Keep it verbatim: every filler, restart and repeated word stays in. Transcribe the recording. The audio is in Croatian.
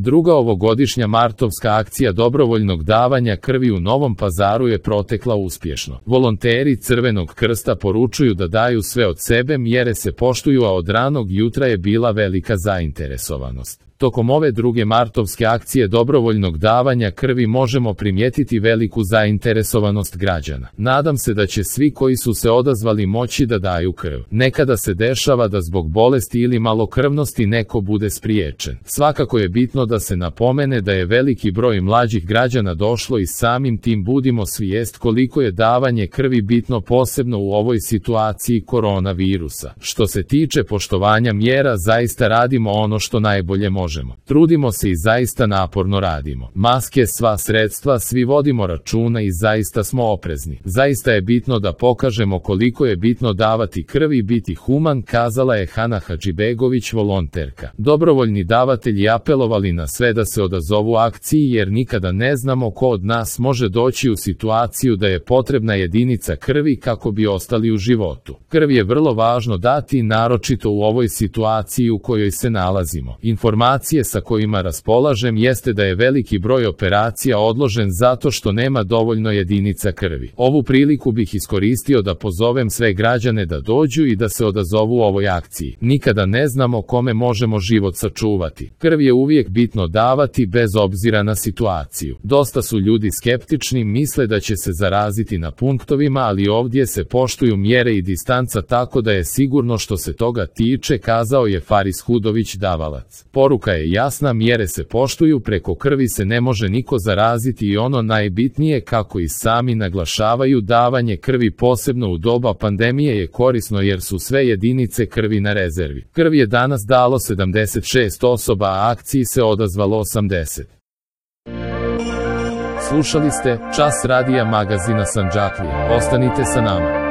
Druga ovogodišnja martovska akcija dobrovoljnog davanja krvi u Novom Pazaru je protekla uspješno. Volonteri Crvenog krsta poručuju da daju sve od sebe, mjere se poštuju, a od ranog jutra je bila velika zainteresovanost. Tokom ove druge martovske akcije dobrovoljnog davanja krvi možemo primijetiti veliku zainteresovanost građana. Nadam se da će svi koji su se odazvali moći da daju krv. Nekada se dešava da zbog bolesti ili malokrvnosti neko bude spriječen. Svakako je bitno da se napomene da je veliki broj mlađih građana došlo i samim tim budimo svijest koliko je davanje krvi bitno, posebno u ovoj situaciji koronavirusa. Što se tiče poštovanja mjera, zaista radimo ono što najbolje možemo. Trudimo se i zaista naporno radimo. Maske, sva sredstva, svi vodimo računa i zaista smo oprezni. Zaista je bitno da pokažemo koliko je bitno davati krv i biti human, kazala je Hana Hadžibegović, volonterka. Dobrovoljni davatelji apelovali na sve da se odazovu akciji jer nikada ne znamo ko od nas može doći u situaciju da je potrebna jedinica krvi kako bi ostali u životu. Krv je vrlo važno dati, naročito u ovoj situaciji u kojoj se nalazimo. Informacije sa kojima raspolažem jeste da je veliki broj operacija odložen zato što nema dovoljno jedinica krvi. Ovu priliku bih iskoristio da pozovem sve građane da dođu i da se odazovu ovoj akciji. Nikada ne znamo kome možemo život sačuvati. Krv je uvijek bitno davati bez obzira na situaciju. Dosta su ljudi skeptični, misle da će se zaraziti na punktovima, ali ovdje se poštuju mjere i distanca, tako da je sigurno što se toga tiče, kazao je Faris Hudović, davalac. Poruka je jasna, mjere se poštuju, preko krvi se ne može niko zaraziti i ono najbitnije, kako i sami naglašavaju, davanje krvi posebno u doba pandemije je korisno jer su sve jedinice krvi na rezervi. Krv je danas dalo sedamdeset šest osoba, a akciji se odazvalo osamdeset. Slušali ste Čas radija magazina Sandžaklije. Ostanite sa nama.